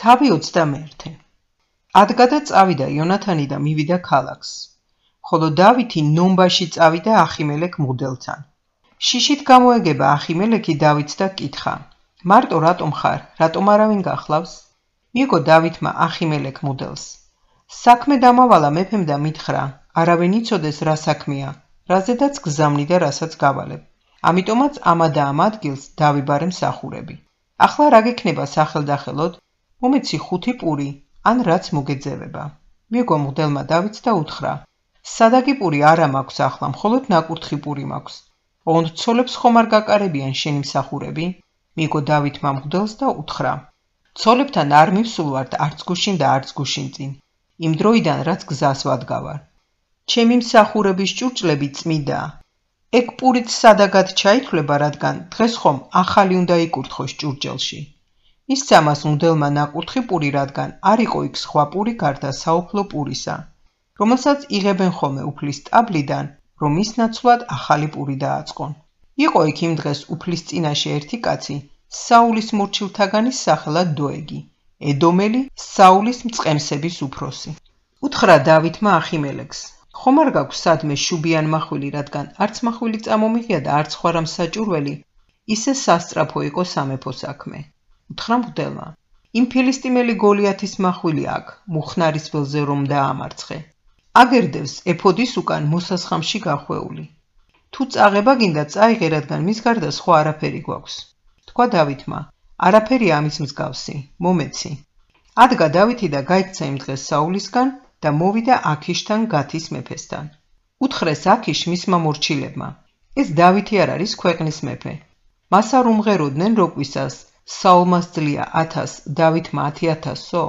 თავი 21. ადგა და წავიდა იონათანი და მივიდა ქალაქს, ხოლო დავითი ნომბაში წავიდა ახიმელეკ მღვდელთან. შიშით გამოეგება ახიმელეკი დავითს და კითხა: მარტო რატომ ხარ, რატომ არავინ გახლავს? მიიგო დავითმა ახიმელეკ მღვდელს: საქმე დამავალა მეფემ და მითხრა, არავინ იცოდეს რა საქმეა, რაზედაც გზავნი და რასაც გავალებ. ამიტომაც ამა და ამ ადგილს დავიბარე მსახურები. ახლა რა გექნება სახელდახელოდ? მომეცი 5 პური, ან რაც მოგეძევება. მიიგო მღვდელმა დავითს და უთხრა: სადაგი პური არა მაქვს ახლა, მხოლოდ ნაკურთხი პური მაქვს. ოღონდ ცოლებს ხომ არ გაკარებიან შენი მსახურები? მიიგო დავითმა მღვდელს და უთხრა: ცოლებთან არ მივსულვართ არც გუშინ და არც გუშინ წინ, იმ დროიდან რაც გზას ვადგავარ. ჩემი მსახურების ჭურჭლები წმიდაა. ეგ პურით სადაგად ჩაითვლება, რადგან დღეს ხომ ახალი უნდა იკურთხოს ჭურჭელში. ისცა მას მღვდელმა ნაკურთხი პური, რადგან არ იყო იქ სხვა პური გარდა საუფლო პურისა, რომელსაც იღებენ ხოლმე უფლის ტაბლიდან, რომ მის ნაცვლად ახალი პური დააწყონ. იყო იქ იმ დღეს უფლის წინაშე ერთი კაცი, საულის მორჩილთაგანის სახელად დოეგი, ედომელი, საულის მწყემსების უფროსი. უთხრა დავითმა ახიმელეკს: ხომ არ გაქვს სადმე შუბიან მახვილი, რადგან არც მახვილი წამომიღია და არც სხვა რამ საჭურველი, ისე სასწრაფო იყო სამეფო საქმე. უთხრა მღვდელმა: იმ ფილისტიმელი გოლიათის მახვილი აქ, მუხნარის ველზე რომ დაამარცხე. აგერდევს ეფოდის უკან მოსასხამში გახვეული. თუ წაღება გინდა წაიღე, რადგან მის გარდა სხვა არაფერი გვაქვს. თქვა დავითმა: არაფერია ამის მსგავსი, მომეცი. ადგა დავითი და გაიქცა იმ დღეს საულისგან და მოვიდა აქიშთან გათის მეფესთან. უთხრეს აქიშ მისმა მორჩილებმა: ეს დავითი არ არის ქვეყნის მეფე? მას არ უმღეროდნენ როგვისას საულმა სძლია 1000, დავითმა 10,000-ო?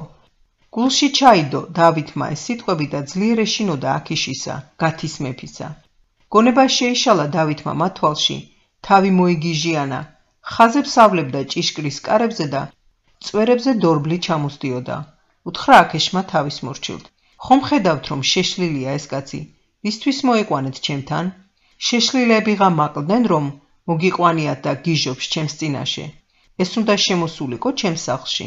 გულში ჩაიდო დავითმა ეს სიტყვები და ძლიერ ეშინოდა აქიშისა, გათის მეფისა. გონება შეიშალა დავითმა მათ თვალში, თავი მოიგიჟიანა, ხაზებს ავლებდა ჭიშკრის კარებზე და წვერებზე დორბლი ჩამოსდიოდა. უთხრა აქიშმა თავის მორჩილთ: ხომ ხედავთ, რომ შეშლილია ეს კაცი, ვისთვის მოიყვანეთ ჩემთან? შეშლილებიღა მაკლდნენ, რომ მოგიყვანიათ და გიჟობს ჩემს წინაშე. ეს უნდა შემოსულიყო ჩემს სახლში.